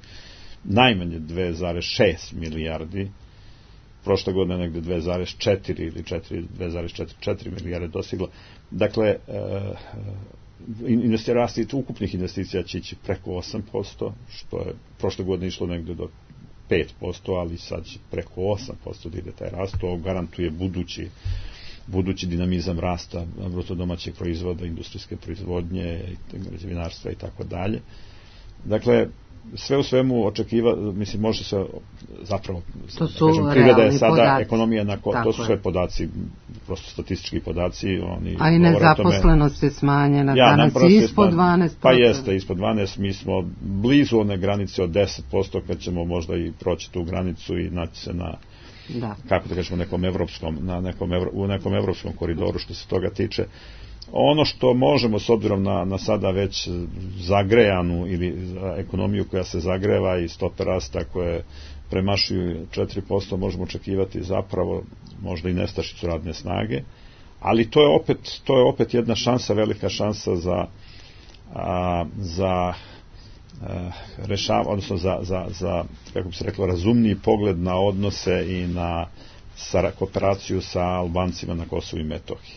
najmanje 2,6 milijardi, prošle godine negde 2,4 ili 2,4 milijarde dosigla. Dakle, rasti ukupnih investicija će ići preko 8%, što je prošle godine išlo negde do 5%, ali sad će preko 8% da ide taj rast. To garantuje budući dinamizam rasta bruto domaćeg proizvoda, industrijske proizvodnje, građevinarstva i tako dalje. Dakle, sve u svemu mislim, može se zapravo, privreda je sada podaci. Ekonomija, to su sve podaci, prosto statistički podaci. A i nezaposlenost je smanjena, danas je ispod 12%. Pa jeste, ispod 12%, mi smo blizu one granice od 10%, kad ćemo možda i proći tu granicu i naći se na, kako da kažemo, u nekom evropskom koridoru što se toga tiče. Ono što možemo, s obzirom na sada već zagrejanu ili ekonomiju koja se zagreva i stope rasta koje premašuju 4%, možemo očekivati zapravo možda i nestašicu radne snage, ali to je opet jedna šansa, velika šansa za rešavanje, odnosno za, kako bi se reklo, razumniji pogled na odnose i na kooperaciju sa Albancima na Kosovu i Metohiji.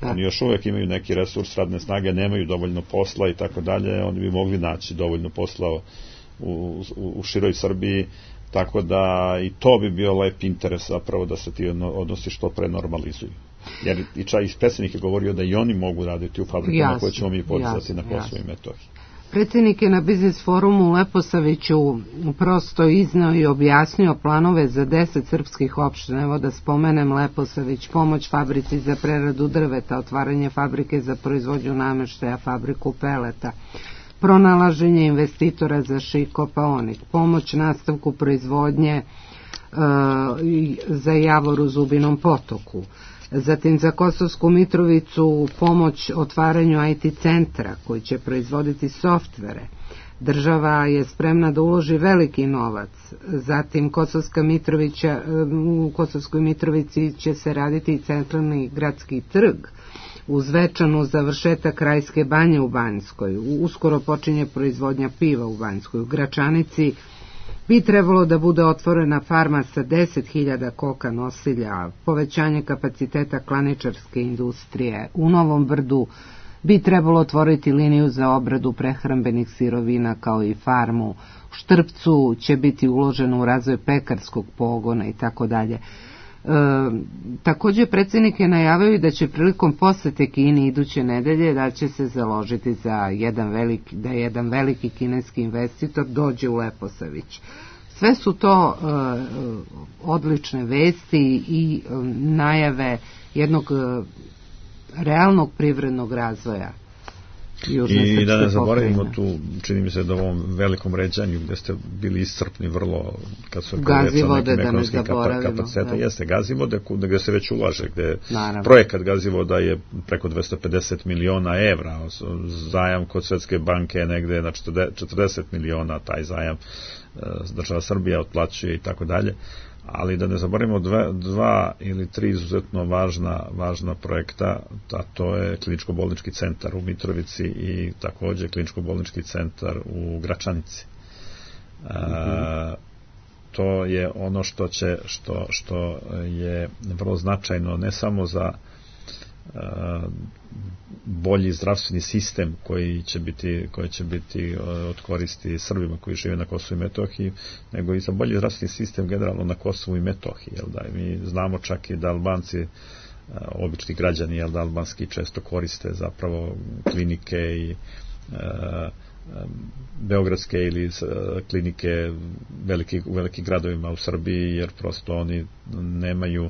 Oni još uvek imaju neki resurs radne snage, nemaju dovoljno posla i tako dalje, oni bi mogli naći dovoljno posla u široj Srbiji, tako da i to bi bio lep interes zapravo da se ti odnosi što pre normalizuju. Jer i predsjednik je govorio da i oni mogu raditi u fabrikama koje ćemo mi podizati na Kosovu i Metohiji. Predsjednik je na Biznis forumu u Leposaviću prosto izneo i objasnio planove za 10 srpskih opština. Evo da spomenem Leposavić, pomoć fabrici za preradu drveta, otvaranje fabrike za proizvodnju nameštaja, fabriku peleta, pronalaženje investitora za Šikopaonik, pomoć nastavku proizvodnje za Javor u Zubinom Potoku. Zatim za Kosovsku Mitrovicu pomoć otvaranju IT centra koji će proizvoditi softvere. Država je spremna da uloži veliki novac. Zatim u Kosovskoj Mitrovici će se raditi i centralni gradski trg uz večanu završetak Rajske banje u Banjskoj. Uskoro počinje proizvodnja piva u Banjskoj. U Gračanici bi trebalo da bude otvorena farma sa 10.000 koka nosilja, povećanje kapaciteta klaničarske industrije. U Novom Brdu bi trebalo otvoriti liniju za obradu prehrambenih sirovina kao i farmu. U Štrpcu će biti uloženo u razvoj pekarskog pogona i tako dalje. Također predsjednik je najavio da će prilikom posete Kini iduće nedelje da će se založiti za jedan veliki kineski investitor dođe u Leposavić. Sve su to odlične vesti i najave jednog realnog privrednog razvoja I da ne zaboravimo tu, čini mi se da u ovom velikom ređanju gde ste bili iscrpni vrlo, kad su Gazivode, da ne zaboravimo. Jeste, Gazivode, gde se već ulaže, gde projekat Gazivoda je preko 250 miliona evra, zajam kod Svetske banke je negde na 40 miliona, taj zajam država Srbija otplaćuje i tako dalje. Ali da ne zaboravimo dva ili tri izuzetno važna projekta, a to je kliničko-bolnički centar u Mitrovici i takođe kliničko-bolnički centar u Gračanici. To je ono što je vrlo značajno ne samo za bolji zdravstveni sistem koji će biti od koristi Srbima koji žive na Kosovu i Metohiji, nego i za bolji zdravstveni sistem generalno na Kosovu i Metohiji. Mi znamo čak i da Albanci, obični građani, da albanski često koriste zapravo klinike i beogradske ili klinike u velikim gradovima u Srbiji, jer prosto oni nemaju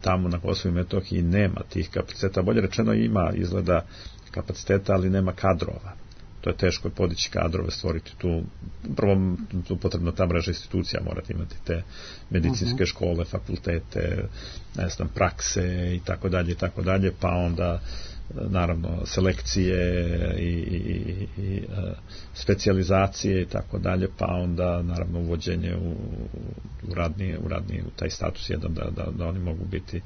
tamo na Kosovu i Metohiji nema tih kapaciteta, bolje rečeno ima izgleda kapaciteta, ali nema kadrova. To je teško podići kadrove, stvoriti tu, prvo tu potrebno ta mreža institucija, morate imati te medicinske škole, fakultete, ne znam, prakse i tako dalje, pa onda naravno selekcije i specijalizacije i tako dalje, pa onda naravno uvođenje u taj status jedan da oni mogu biti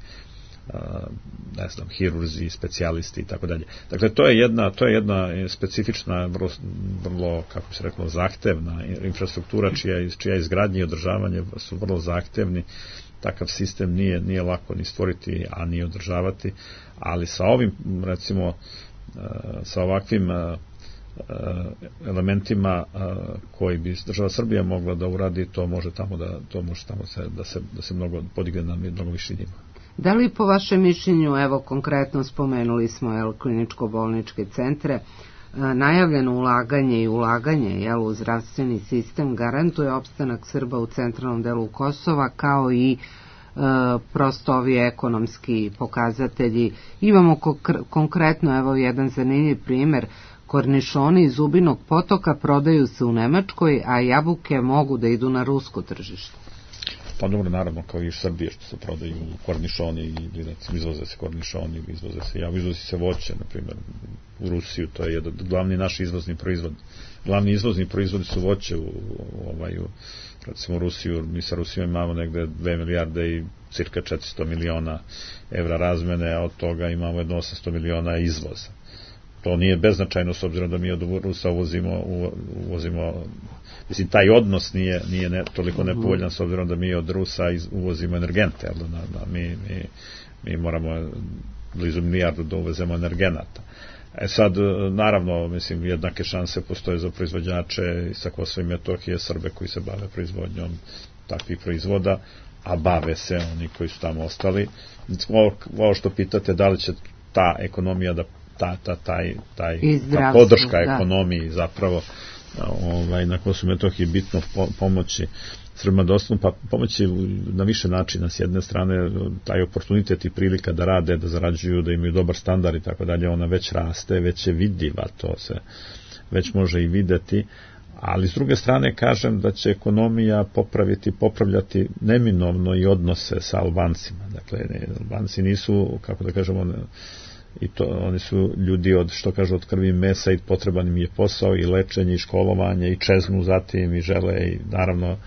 ne znam, hirurzi, specijalisti i tako dalje. Dakle, to je jedna specifična, vrlo, kako se reklo, zahtevna infrastruktura čija izgradnja i održavanje su vrlo zahtevni. Takav sistem nije lako ni stvoriti, a ni održavati, ali sa ovim, recimo, sa ovakvim elementima koji bi država Srbija mogla da uradi, to može tamo da se mnogo podigne na mnogo viši nivo. Da li po vašem mišljenju, evo konkretno spomenuli smo kliničko-bolničke centre, najavljeno ulaganje u zdravstveni sistem garantuje opstanak Srba u centralnom delu Kosova, kao i prosto ovi ekonomski pokazatelji. Imamo konkretno, evo jedan zanimljiv primer, kornišoni iz Zubinog Potoka prodaju se u Nemačkoj, a jabuke mogu da idu na rusko tržište. Pa dobro, naravno, kao i u Srbiji što se prodaju kornišoni i recimo izvoze se kornišoni, izvozi se voće, na primjer, u Rusiju, to je jedan glavni naš izvozni proizvod. Glavni izvozni proizvodi su voće recimo Rusiju, mi sa Rusijom imamo negde 2 milijarde i cirka 400 miliona evra razmene, a od toga imamo 800 miliona izvoza. To nije beznačajno s obzirom da mi od Rusa uvozimo, mislim, taj odnos nije toliko nepovoljan s obzirom da mi od Rusa uvozimo energente, mi moramo blizu milijardu da uvezemo energenata. Sad, naravno, mislim, jednake šanse postoje za proizvođače sa Kosova i Metohije, Srbe koji se bave proizvodnjom takvih proizvoda, a bave se oni koji su tamo ostali. Ovo što pitate, da li će ta ekonomija da ta podrška ekonomiji zapravo na Kosovu i Metohiji bitno pomoći Srbima da ostanu, pa pomoći na više načina. S jedne strane, taj oportunitet i prilika da rade, da zarađuju, da imaju dobar standard i tako dalje, ona već raste, već je vidljiva, to se već može i videti, ali s druge strane kažem da će ekonomija popravljati neminovno i odnose sa Albancima. Dakle, Albanci nisu, kako da kažemo, i to oni su ljudi od krvi i mesa i potreban im je posao i lečenje i školovanje i čeznu zatim i žele i naravno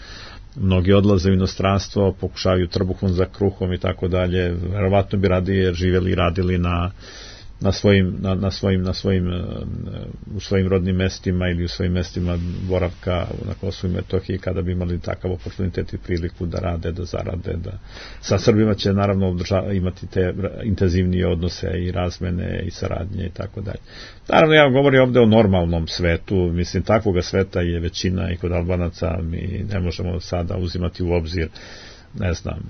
mnogi odlaze u inostranstvo, pokušavaju trbuhom za kruhom i tako dalje, verovatno bi radije živjeli i radili u svojim rodnim mestima ili u svojim mestima boravka na Kosovu i Metohiji kada bi imali takav oportunitet i priliku da rade, da zarade. Sa Srbima će naravno imati te intenzivnije odnose i razmene i saradnje i tako dalje. Naravno, ja govorim ovde o normalnom svetu, mislim, takvoga sveta je većina i kod Albanaca, mi ne možemo sada uzimati u obzir, ne znam,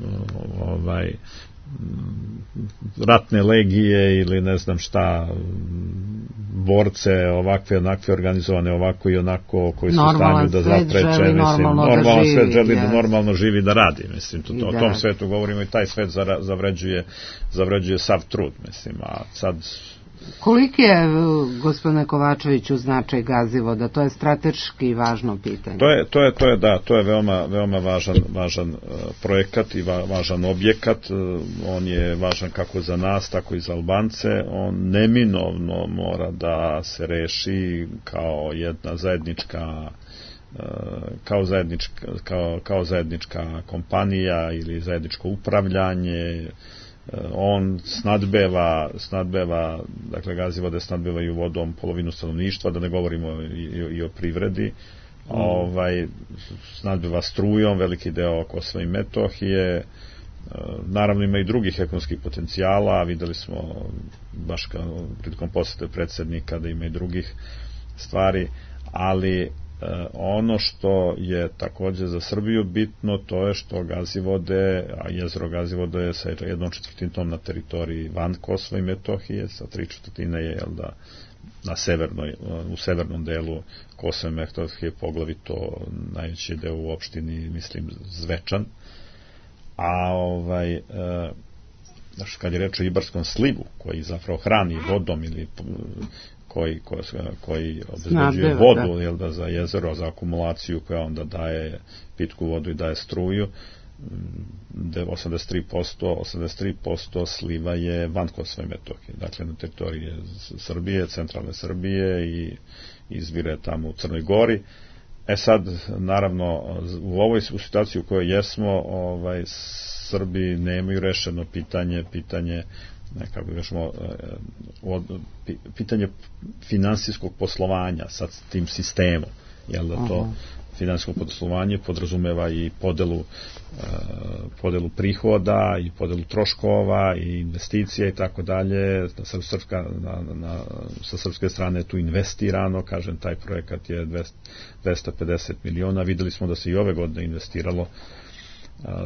ratne legije ili ne znam šta, borce ovakve, onakve organizovane, ovako i onako, koji su u stanju da zapreče, normalan svet želi da normalno živi, da radi, mislim, o tom svetu govorimo i taj svet zavređuje sav trud, mislim, a sad Koliki je, gospodine Kovačeviću, značaj Gazivoda? To je strateški važno pitanje. To je veoma važan projekat i važan objekat. On je važan kako za nas, tako i za Albance. On neminovno mora da se reši kao jedna zajednička kao zajednička kompanija ili zajedničko upravljanje. On snadbeva, dakle Gazivode snadbevaju vodom polovinu stanovništva, da ne govorimo i o privredi. Snadbeva strujom veliki deo Kosova i Metohije. Naravno ima i drugih ekonomskih potencijala, videli smo baš prilikom posete predsjednika da ima i drugih stvari, ali ono što je također za Srbiju bitno, to je što Gazivode, a jezero Gazivode je sa 1/4 na teritoriji van Kosova i Metohije, sa 3/4 je u severnom delu Kosova i Metohije, poglavito najveći deo u opštini, mislim, Zvečan. A kad je reč o Ibarskom slivu, koji zapravo hrani vodom ili koji obezbeđuje vodu za jezero, za akumulaciju koja onda daje pitku vodu i daje struju, 83% sliva je van Kosova i Metohije, dakle na teritoriji Srbije, centralne Srbije i izvire tamo u Crnoj Gori. Sad, naravno, u ovoj situaciji u kojoj jesmo, Srbi nemaju rešeno pitanje finansijskog poslovanja sa tim sistemom, jel da to finansijsko poslovanje podrazumeva i podelu prihoda i podelu troškova i investicija i tako dalje. Sa srpske strane je tu investirano, kažem, taj projekat je 250 miliona, videli smo da se i ove godine investiralo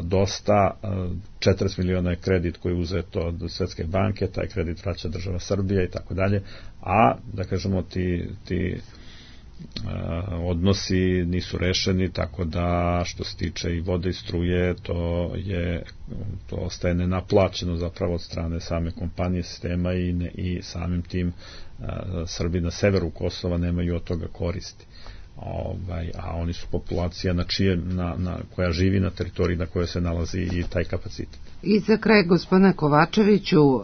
dosta, 40 miliona je kredit koji je uzeto od Svetske banke, taj kredit vraća država Srbija i tako dalje, a da kažemo ti odnosi nisu rešeni, tako da što se tiče i vode i struje, to ostaje nenaplaćeno zapravo od strane same kompanije sistema i samim tim Srbi na severu Kosova nemaju od toga koristi. A oni su populacija koja živi na teritoriji na kojoj se nalazi i taj kapacitet. I za kraj, gospodine Kovačeviću,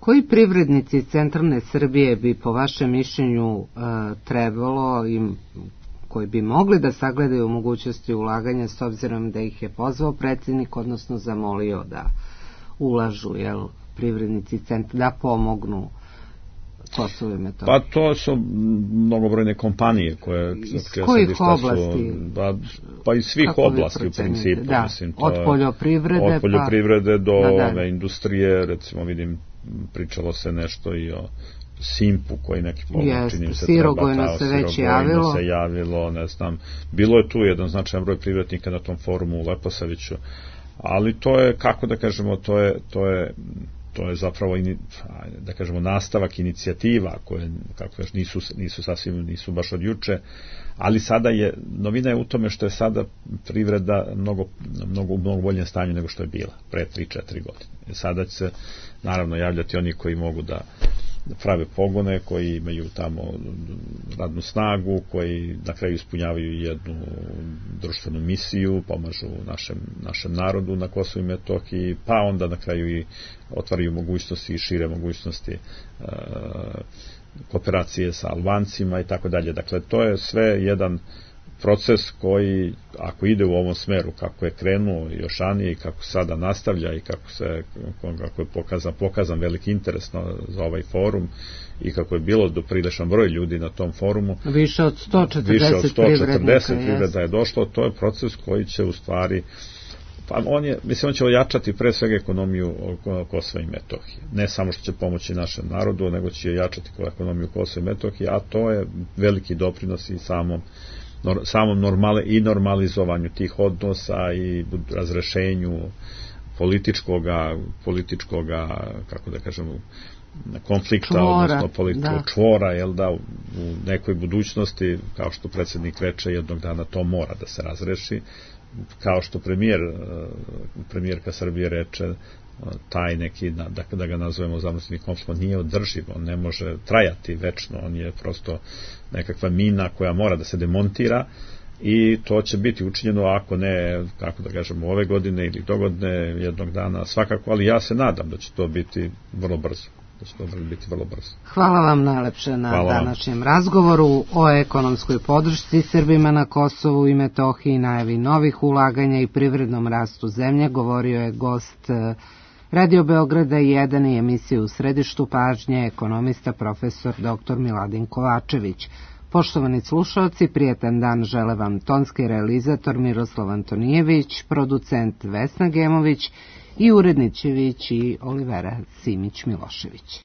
koji privrednici iz centralne Srbije bi po vašem mišljenju trebalo koji bi mogli da sagledaju mogućnosti ulaganja, s obzirom da ih je pozvao predsjednik, odnosno zamolio da ulažu, privrednici da pomognu Kosovo i Metohiju? Pa to su mnogobrojne kompanije koje... Iz kojih oblasti? Pa iz svih oblasti u principu. Da, od poljoprivrede do industrije, recimo vidim, pričalo se nešto i o Simpu koji neki čini se Sirogojno se već javilo, ne znam. Bilo je tu jedan značajan broj privrednika na tom forumu u Leposaviću, ali to je, kako da kažemo, to je zapravo, da kažemo, nastavak inicijativa koje, kako nisu baš od juče, ali sada novina je u tome što je sada privreda mnogo boljem stanju nego što je bila pre 3-4 godine. Sada će se naravno javljati oni koji mogu da prave pogone, koji imaju tamo radnu snagu, koji na kraju ispunjavaju jednu društvenu misiju, pomažu našem narodu na Kosovu i Metohiji, pa onda na kraju i otvaraju mogućnosti i šire mogućnosti kooperacije sa Albancima i tako dalje. Dakle, to je sve jedan proces koji, ako ide u ovom smeru kako je krenuo još ranije i kako sada nastavlja i kako je pokazan veliki interes za ovaj forum i kako je bilo dopriličan broj ljudi na tom forumu, više od 140 privreda je došlo, to je proces koji će u stvari, on će ojačati pre svega ekonomiju Kosova i Metohije. Ne samo što će pomoći našem narodu, nego će ojačati ekonomiju Kosova i Metohije, a to je veliki doprinos i samom normalizovanju tih odnosa i razrešenju političkoga, kako da kažemo, konflikta, odnosno političkog čvora, u nekoj budućnosti, kao što predsjednik reče, jednog dana to mora da se razreši, kao što premijerka Srbije reče, taj neki, da ga nazovemo zamrznutni konflikt, on nije održiv, on ne može trajati večno, on je prosto nekakva mina koja mora da se demontira i to će biti učinjeno, ako ne, kako da kažemo, ove godine ili dogodne jednog dana svakako, ali ja se nadam da će to biti vrlo brzo. Hvala vam najlepše na današnjem razgovoru o ekonomskoj podršci Srbima na Kosovu i Metohiji, najavi novih ulaganja i privrednom rastu zemlje. Govorio je gost Radio Beograda 1 i emisije U središtu pažnje, ekonomista profesor dr. Miladin Kovačević. Poštovani slušaoci, prijetan dan žele vam tonski realizator Miroslav Antonijević, producent Vesna Gemović i uredničević i Olivera Simić-Milošević.